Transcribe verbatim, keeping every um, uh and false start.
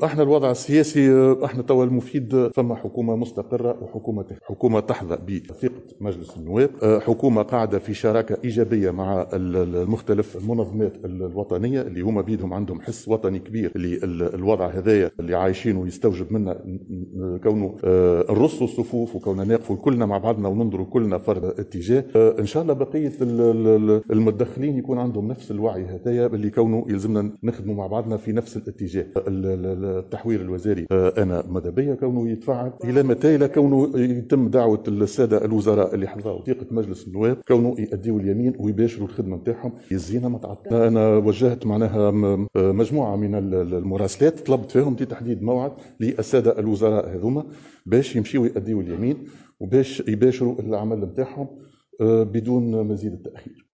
احنا الوضع السياسي، احنا توا المفيد فما حكومة مستقره وحكومة حكومة تحظى بثقة مجلس النواب، حكومة قاعدة في شراكة ايجابية مع المختلف المنظمات الوطنية اللي هما بيدهم عندهم حس وطني كبير، اللي الوضع هذايا اللي عايشينه يستوجب منا كونه آه، نرصوا الصفوف وكوننا نقفوا كلنا مع بعضنا وننظروا كلنا فرد اتجاه. آه، ان شاء الله بقية المتدخلين يكون عندهم نفس الوعي هذايا اللي كونه يلزمنا نخدموا مع بعضنا في نفس الاتجاه. التحوير الوزاري آه، انا ماذا بيا كونه يتفعل الى متى؟ الى كونه يتم دعوه السادة الوزراء اللي حظوا ثقة مجلس النواب كونه يأديوا اليمين ويباشروا الخدمة نتاعهم. يزينا ما تعطل. انا وجهت معناها مجموعة من المراسلات طلبت فيهم تحديد موعد للسادة الوزراء هذوما باش يمشيوا يأديوا اليمين وباش يباشروا العمل نتاعهم آه، بدون مزيد التاخير.